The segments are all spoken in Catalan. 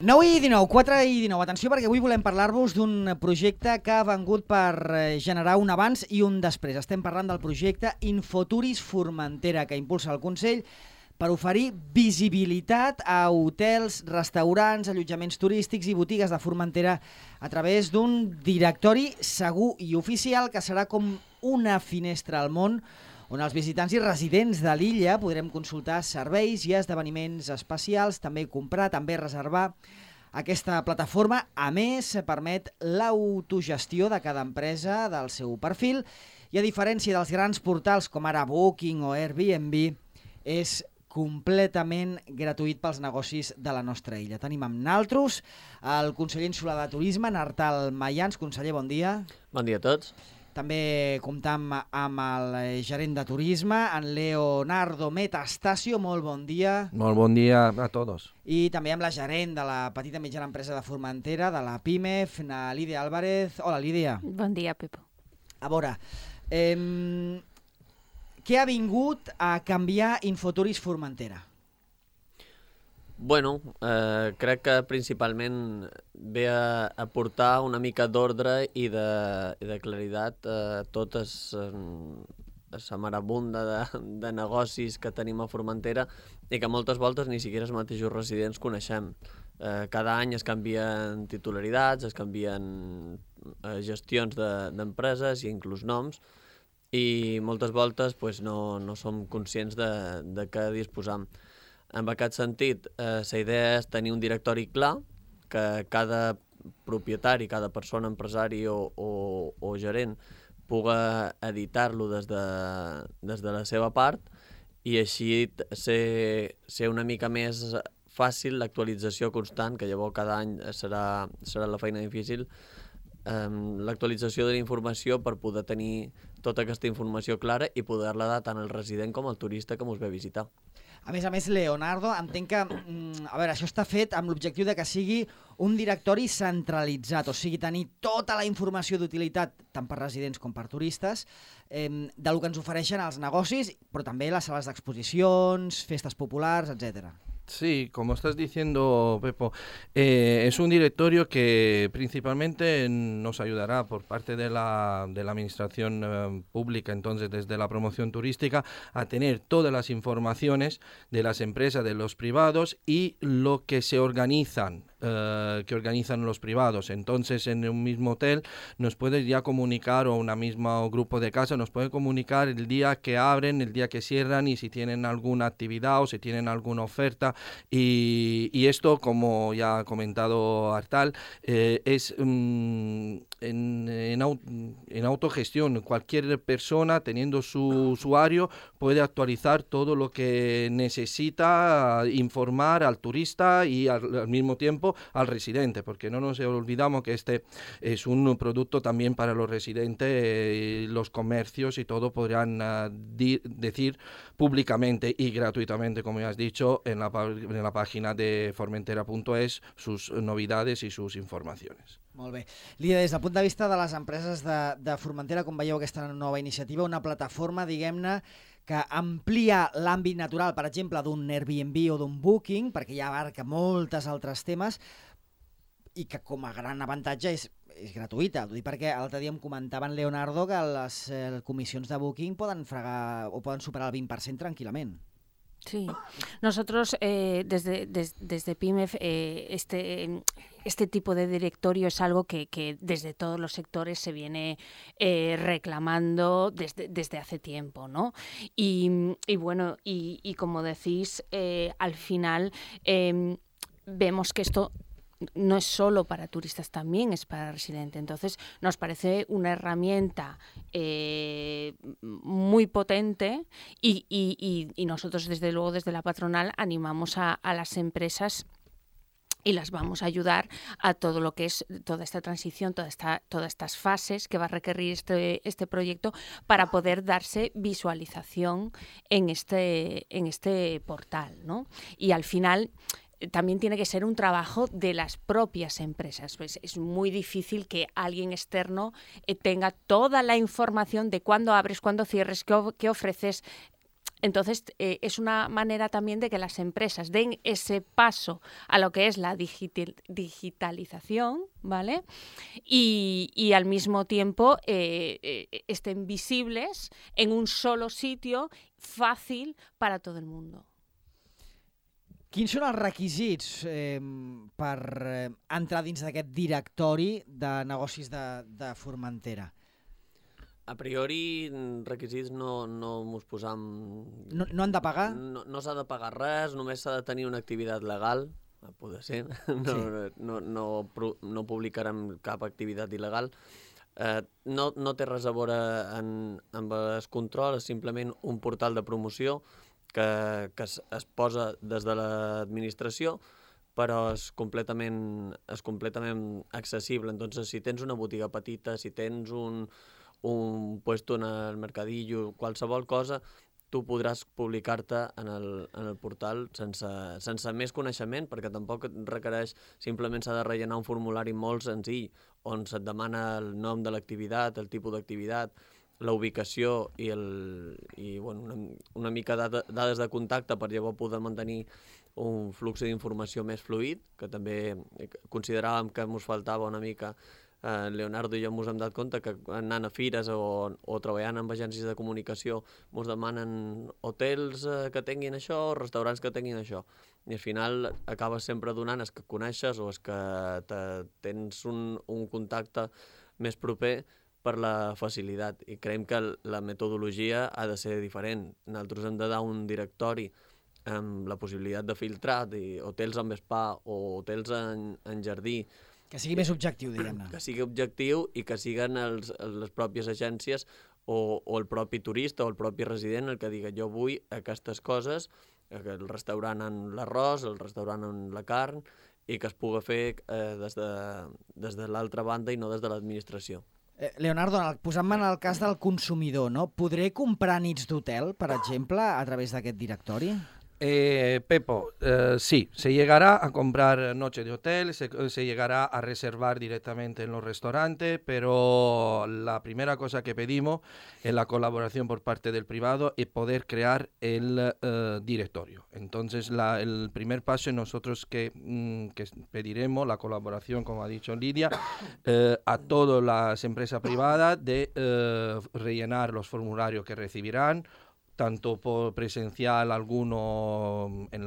9 i 19, 4 i 19. Atenció, perquè avui volem parlar-vos d'un projecte que ha vengut per generar un abans i un després. Estem parlant del projecte Infoturis Formentera, que impulsa el Consell per oferir visibilitat a hotels, restaurants, allotjaments turístics i botigues de Formentera a través d'un directori segur i oficial que serà com una finestra al món, on els visitants i residents de l'illa podrem consultar serveis i esdeveniments especials, també comprar, també reservar. Aquesta plataforma, a més, permet l'autogestió de cada empresa del seu perfil i, a diferència dels grans portals com ara Booking o Airbnb, és completament gratuït pels negocis de la nostra illa. Tenim amb naltros el conseller insular de Turisme, Artal Mayans. Conseller, bon dia. Bon dia a tots. També comptam amb el gerent de turisme, en Leonardo Metastasio. Molt bon dia. Molt bon dia a tots. I també amb la gerent de la petita i mitjana empresa de Formentera, de la PIMEF, Lídia Álvarez. Hola, Lídia. Bon dia, Pepo. A veure, què ha vingut a canviar Infoturis Formentera? Bueno, crec que principalment ve a portar una mica d'ordre i de claritat a tota la marabunda de negocis que tenim a Formentera i que moltes voltes ni siquiera els mateixos residents coneixem. Cada any es canvien titularitats, es canvien gestions d'empreses i inclús noms, i moltes voltes no som conscients de què disposam. En aquest sentit, la idea és tenir un directori clar, que cada propietari, cada persona, empresari o gerent puga editar-lo des de la seva part i així ser una mica més fàcil l'actualització constant, que llavors cada any serà la feina difícil, l'actualització de la informació per poder tenir tota aquesta informació clara i poder-la dar tant al resident com al turista que ens ve a visitar. A més, Leonardo, entenc que això està fet amb l'objectiu de que sigui un directori centralitzat, o sigui, tenir tota la informació d'utilitat, tant per residents com per turistes, del que ens ofereixen els negocis, però també les sales d'exposicions, festes populars, etc. Sí, como estás diciendo, Pepo, es un directorio que principalmente nos ayudará por parte de la administración pública, entonces desde la promoción turística, a tener todas las informaciones de las empresas, de los privados y lo que se organizan. Que organizan los privados. Entonces, en un mismo hotel nos puede ya comunicar, o un mismo grupo de casa nos puede comunicar el día que abren, el día que cierran y si tienen alguna actividad o si tienen alguna oferta. Y esto, como ya ha comentado Artal, es en autogestión. Cualquier persona, teniendo su usuario, puede actualizar todo lo que necesita, informar al turista y al mismo tiempo al residente, porque no nos olvidamos que este es un producto también para los residentes, los comercios y todo podrán decir públicamente y gratuitamente, como ya has dicho, en la página de formentera.es sus novedades y sus informaciones. Molt bé. Lídia, des del punt de vista de les empreses de Formentera, com veieu aquesta nova iniciativa, una plataforma, diguem-ne, que amplia l'àmbit natural, per exemple, d'un Airbnb o d'un Booking, perquè ja abarca moltes altres temes, i que com a gran avantatge és gratuïta. Ho dic perquè l'altre dia em comentaven, Leonardo, que les comissions de Booking poden fregar o poden superar el 20% tranquil·lament. Sí, nosotros desde PIMEF este tipo de directorio es algo que desde todos los sectores se viene reclamando desde hace tiempo, ¿no? Y bueno, y como decís, al final vemos que esto no es solo para turistas, también es para residentes. Entonces, nos parece una herramienta muy potente y nosotros, desde luego, desde la patronal, animamos a las empresas y las vamos a ayudar a todo lo que es toda esta transición, todas estas fases que va a requerir este proyecto para poder darse visualización en este portal, ¿no? Y al final también tiene que ser un trabajo de las propias empresas. Pues es muy difícil que alguien externo tenga toda la información de cuándo abres, cuándo cierres, qué ofreces. Entonces, es una manera también de que las empresas den ese paso a lo que es la digitalización, ¿vale? Y al mismo tiempo estén visibles en un solo sitio fàcil per a tot el món. Quins són els requisits per entrar dins d'aquest directori de negocis de Formentera? A priori, requisits no mos posam... No han de pagar? No s'ha de pagar res, només s'ha de tenir una activitat legal, poder ser. No publicarem cap activitat il·legal. No té res a veure amb el control, és simplement un portal de promoció que es posa des de l'administració, però és completament accessible. Entonces, si tens una botiga petita, si tens un puesto en el mercadillo, qualsevol cosa, tu podràs publicar-te en el portal sense més coneixement, perquè tampoc et requereix, simplement s'ha de rellenar un formulari molt senzill, on se't demana el nom de l'activitat, el tipus d'activitat, la ubicació i una mica dades de contacte per llavors poder mantenir un flux d'informació més fluid, que també consideràvem que ens faltava una mica. Leonardo i jo ens hem dat compte que anant a fires o treballant amb agències de comunicació ens demanen hotels que tinguin això o restaurants que tinguin això. I al final acabes sempre donant els que coneixes o els que tens un contacte més proper per la facilitat. I creiem que la metodologia ha de ser diferent. Nosaltres hem de dar un directori amb la possibilitat de filtrar hotels amb spa o hotels en jardí, que sigui més objectiu, diguem-ne. Que sigui objectiu i que siguin les pròpies agències o el propi turista o el propi resident el que diga jo vull aquestes coses, el restaurant en l'arròs, el restaurant en la carn, i que es pugui fer des de l'altra banda i no des de l'administració. Leonardo, posant-me en el cas del consumidor, no? Podré comprar nits d'hotel, per exemple, a través d'aquest directori? Pepo, sí, se llegará a comprar noche de hotel, se llegará a reservar directamente en los restaurantes, pero la primera cosa que pedimos es la colaboración por parte del privado y poder crear el directorio. Entonces, el primer paso es nosotros que pediremos la colaboración, como ha dicho Lidia, a todas las empresas privadas de rellenar los formularios que recibirán, tanto por presencial, alguno en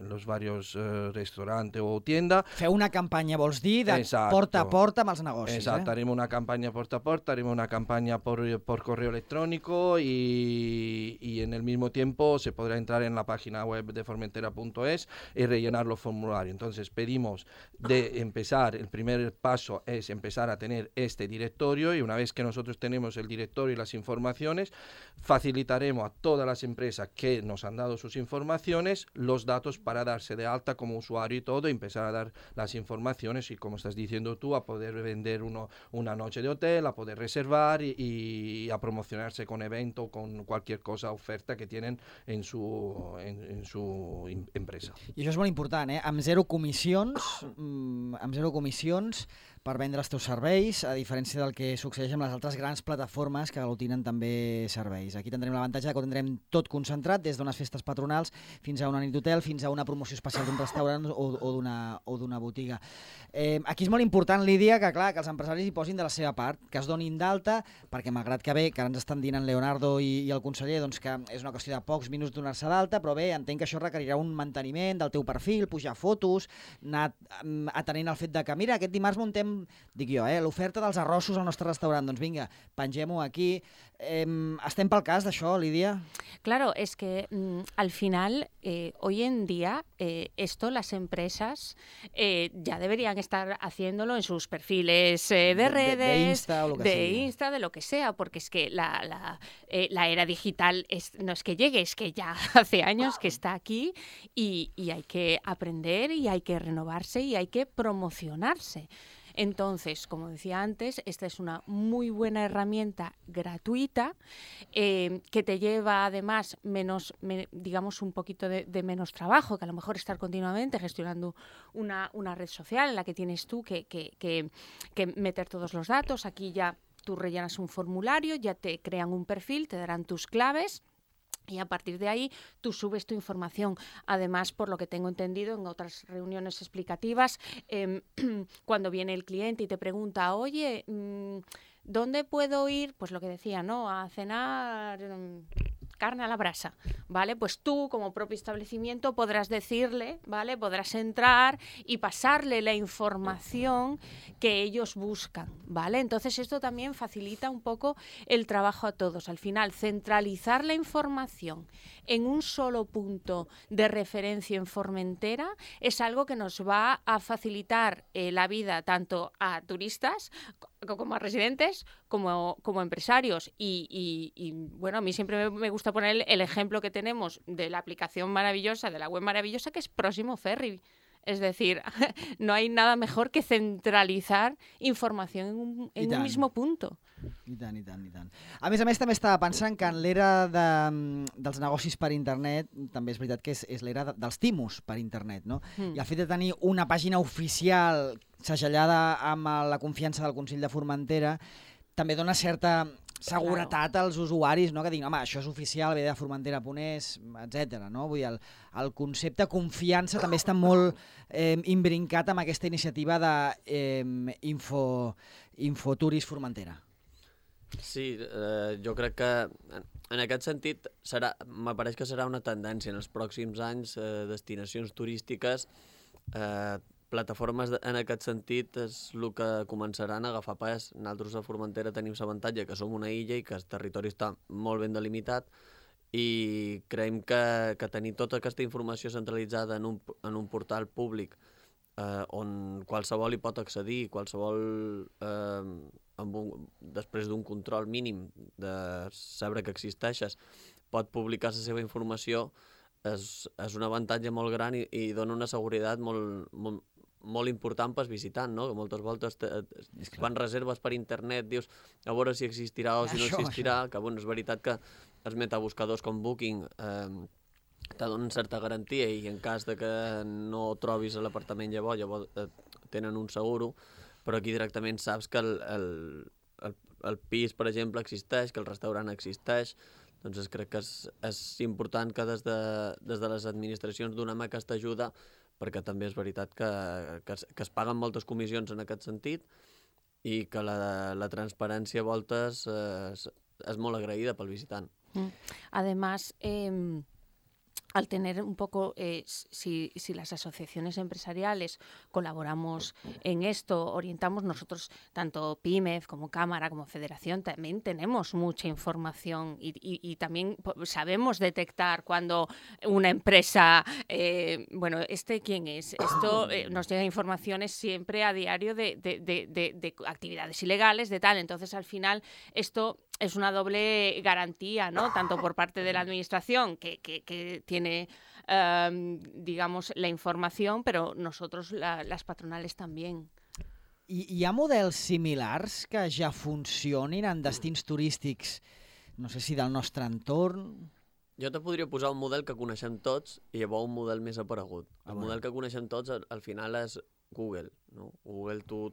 los varios restaurantes o tiendas. Feu una campanya, vols dir, de porta a porta amb els negocis. Exacto, haremos una campaña porta a porta, haremos una campaña por correo electrónico y en el mismo tiempo se podrá entrar en la página web de formentera.es y rellenar los formularios. Entonces pedimos el primer paso es empezar a tener este directorio, y una vez que nosotros tenemos el directorio y las informaciones, facilitaremos a todas las empresas que nos han dado sus informaciones los datos para darse de alta como usuario y todo, y empezar a dar las informaciones y, como estás diciendo tú, a poder vender una noche de hotel, a poder reservar y a promocionarse con evento, con cualquier cosa, oferta que tienen en su empresa. I això és molt important, amb zero comissions per vendre els teus serveis, a diferència del que succeeix amb les altres grans plataformes que aglutinen també serveis. Aquí tindrem l'avantatge que ho tindrem tot concentrat, des d'unes festes patronals fins a una nit d'hotel, fins a una promoció especial d'un restaurant o d'una botiga. Aquí és molt important, Lídia, que clar, que els empresaris hi posin de la seva part, que es donin d'alta, perquè malgrat que bé, que ara ens estan dient en Leonardo i el conseller, doncs que és una qüestió de pocs minuts donar-se d'alta, però bé, entenc que això requerirà un manteniment del teu perfil, pujar fotos, anar atenent el fet de que, mira, aquest dimarts muntem, dic jo, l'oferta dels arrossos al nostre restaurant, doncs vinga, pengem-ho aquí. ¿Estem pel cas d'això, Lídia? Claro, es que al final, hoy en día, esto las empresas ya deberían estar haciéndolo en sus perfiles de redes, de Insta, de lo que sea, porque es que la era digital no es que llegue, es que ya hace años que está aquí y hay que aprender y hay que renovarse y hay que promocionarse. Entonces, como decía antes, esta es una muy buena herramienta gratuita que te lleva además digamos un poquito de menos trabajo, que a lo mejor estar continuamente gestionando una red social en la que tienes tú que meter todos los datos. Aquí ya tú rellenas un formulario, ya te crean un perfil, te darán tus claves Y a partir de ahí tú subes tu información. Además, por lo que tengo entendido en otras reuniones explicativas, cuando viene el cliente y te pregunta, oye, ¿dónde puedo ir? Pues lo que decía, ¿no? A cenar carne a la brasa, ¿vale? Pues tú, como propio establecimiento, podrás decirle, ¿vale? Podrás entrar y pasarle la información que ellos buscan, ¿vale? Entonces esto también facilita un poco el trabajo a todos. Al final, centralizar la información en un solo punto de referencia en Formentera es algo que nos va a facilitar la vida tanto a turistas como a residentes, como empresarios. Y bueno, a mí siempre me gusta poner el ejemplo que tenemos de la aplicación maravillosa, de la web maravillosa, que es Próximo Ferry. Es decir, no hay nada mejor que centralitzar informació en un mismo punto. I tant, i tant, i tant. A més, també estava pensant que en l'era dels negocis per internet, també és veritat que és l'era dels timos per internet, no? I el fet de tenir una pàgina oficial segellada amb la confiança del Consell de Formentera també dona certa seguretat als usuaris, no? Que diguin, home, això és oficial, ve de formentera.es, etc. No? Vull dir, el concepte confiança també està molt imbrincat amb aquesta iniciativa d'Infoturis Formentera. Sí, jo crec que en aquest sentit m'apareix que serà una tendència en els pròxims anys, destinacions turístiques, plataformes en aquest sentit és el que començaran a agafar pes. Nosaltres a Formentera tenim l'avantatge que som una illa i que el territori està molt ben delimitat i creiem que tenir tota aquesta informació centralitzada en un portal públic on qualsevol hi pot accedir, qualsevol després d'un control mínim de saber que existeixes pot publicar la seva informació és un avantatge molt gran i dona una seguretat molt important pel visitant, no? Que moltes voltes quan reserves per internet dius a veure si existirà o si no existirà, que bueno, és veritat que els metabuscadors com Booking te donen certa garantia i en cas de que no trobis l'apartament llavors tenen un seguro, però aquí directament saps que el pis, per exemple, existeix, que el restaurant existeix. Doncs crec que és important que des de les administracions donem aquesta ajuda, perquè també és veritat que es paguen moltes comissions en aquest sentit i que la transparència a voltes és molt agraïda pel visitant. Además, al tener un poco, si las asociaciones empresariales colaboramos en esto, orientamos nosotros, tanto PYMEF como Cámara, como Federación, también tenemos mucha información y también sabemos detectar cuando una empresa, bueno, ¿quién es? Esto nos llega informaciones siempre a diario de actividades ilegales, de tal. Entonces, al final, esto es una doble garantía, ¿no? Tanto por parte de la administración, que tiene, digamos, la información, pero nosotros, las patronales, también. Hi ha models similars que ja funcionin en destins turístics, no sé si del nostre entorn? Jo te podria posar un model que coneixem tots i llavors un model més aparegut. El model que coneixem tots al final és Google, no? Google tu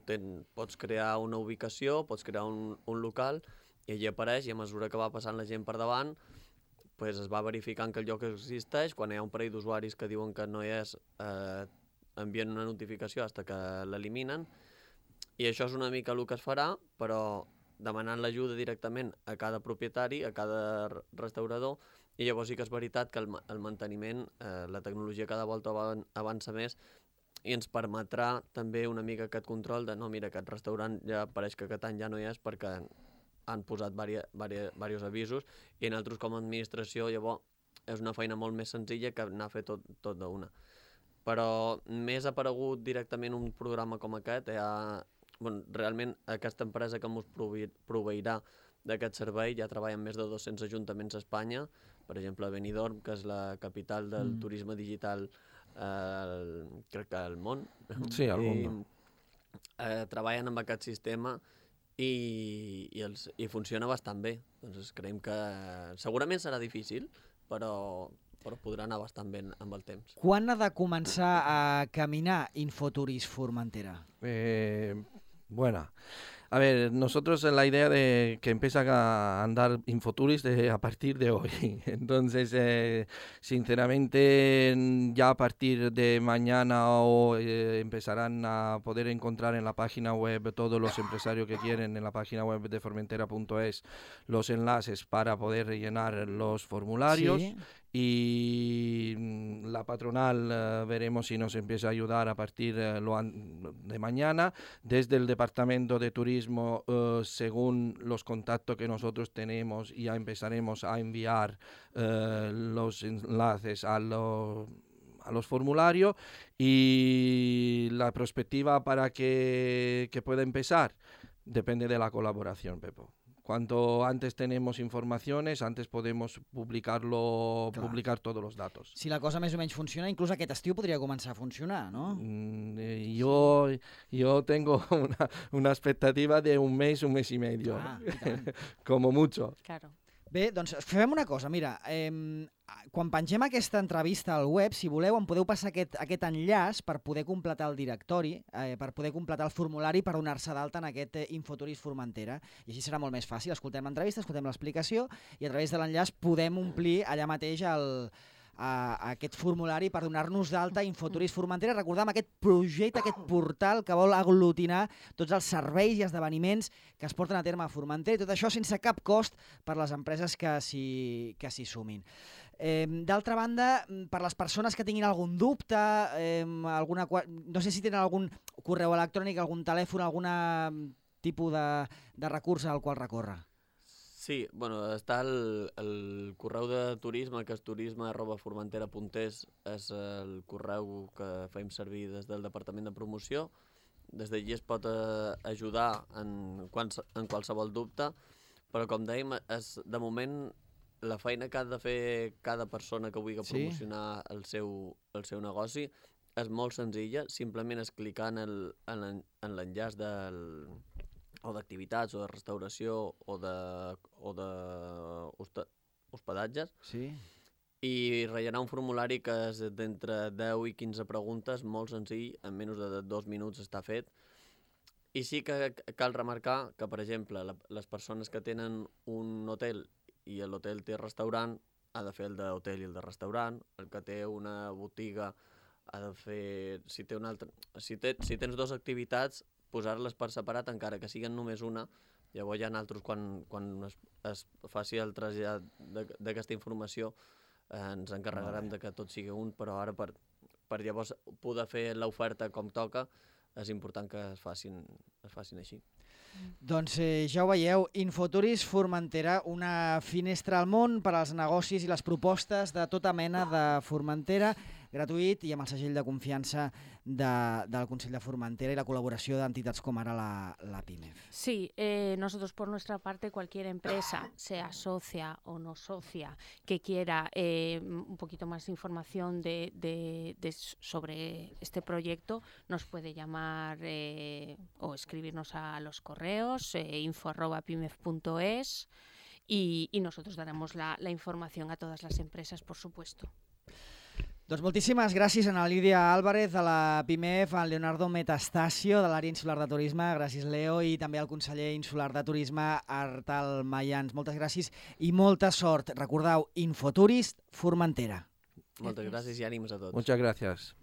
pots crear una ubicació, pots crear un local i allí apareix i a mesura que va passant la gent per davant pues es va verificant que el lloc existeix. Quan hi ha un parell d'usuaris que diuen que no hi és, envien una notificació fins que l'eliminen i això és una mica el que es farà, però demanant l'ajuda directament a cada propietari, a cada restaurador, i llavors sí que és veritat que el manteniment, la tecnologia cada volta avança més i ens permetrà també una mica aquest control de no, mira, aquest restaurant ja pareix que aquest any ja no hi és perquè han posat diversos avisos i nosaltres com a administració llavors és una feina molt més senzilla que anar a fer tot d'una. Però més aparegut directament un programa com aquest, realment aquesta empresa que ens proveirà d'aquest servei ja treballa amb més de 200 ajuntaments a Espanya, per exemple a Benidorm, que és la capital del turisme digital, crec que al món. Sí, al món. Treballen amb aquest sistema i funciona bastant bé. Doncs creiem que segurament serà difícil, però podrà anar bastant bé amb el temps. Quan ha de començar a caminar Infoturis Formentera? Bueno, A ver, nosotros la idea de que empieza a andar Infoturis a partir de hoy. Entonces, sinceramente, ya a partir de mañana empezarán a poder encontrar en la página web todos los empresarios que quieren, en la página web de Formentera.es, los enlaces para poder rellenar los formularios. Sí. Y la patronal veremos si nos empieza a ayudar a partir de mañana. Desde el Departamento de Turismo, según los contactos que nosotros tenemos, ya empezaremos a enviar los enlaces a los formularios, y la perspectiva para que pueda empezar depende de la colaboración, Pepo. Cuanto antes tenemos informaciones, antes podemos publicar todos los datos. Si la cosa més o menys funciona, inclús aquest estiu podria començar a funcionar, no? Yo tengo una expectativa de un mes y medio, como mucho. Claro. Bé, doncs fem una cosa, mira, quan pengem aquesta entrevista al web, si voleu, em podeu passar aquest enllaç per poder completar el directori, per poder completar el formulari per donar-se d'alta en aquest Infoturis Formentera, i així serà molt més fàcil. Escoltem l'entrevista, escoltem l'explicació, i a través de l'enllaç podem omplir allà mateix aquest formulari per donar-nos d'alta Infoturis Formentera. Recordem aquest projecte, aquest portal que vol aglutinar tots els serveis i esdeveniments que es porten a terme a Formentera, i tot això sense cap cost per les empreses que s'hi sumin. D'altra banda, per les persones que tinguin algun dubte, no sé si tenen algun correu electrònic, algun telèfon, algun tipus de recurs al qual recórrer. Sí, bueno, està el correu de turisme, que és turisme@formentera.es, és el correu que fem servir des del Departament de Promoció. Des d'allí es pot ajudar en qualsevol dubte, però com dèiem, de moment la feina que ha de fer cada persona que vulgui promocionar el seu negoci és molt senzilla, simplement és clicar en l'enllaç o d'activitats, o de restauració, o d'hospedatges, Sí. i rellenar un formulari que és d'entre 10 i 15 preguntes, molt senzill, en menys de 2 minuts està fet. I sí que cal remarcar que, per exemple, les persones que tenen un hotel i l'hotel té restaurant, ha de fer el d'hotel i el de restaurant. El que té una botiga ha de fer... Si tens dues activitats, posar-les per separat, encara que siguin només una. Llavors hi ha altres, quan es faci el trasllat d'aquesta informació, ens encarregarem de que tot sigui un, però ara per llavors poder fer l'oferta com toca, és important que es facin així. Doncs ja ho veieu, Infoturis Formentera, una finestra al món per als negocis i les propostes de tota mena de Formentera, gratuït i amb el segell de confiança del Consell de Formentera y la colaboración de entidades como ahora la PIMEF. Sí, nosotros por nuestra parte, cualquier empresa, sea socia o no socia, que quiera un poquito más de información sobre este proyecto, nos puede llamar o escribirnos a los correos info@pimef.es y nosotros daremos la información a todas las empresas, por supuesto. Doncs moltíssimes gràcies a Lídia Álvarez de la PIMEF, a Leonardo Metastasio de l'àrea insular de turisme, gràcies Leo, i també al conseller insular de turisme Artal Mayans. Moltes gràcies i molta sort. Recordeu, Infoturis Formentera. Moltes gràcies i ànims a tots. Muchas gracias.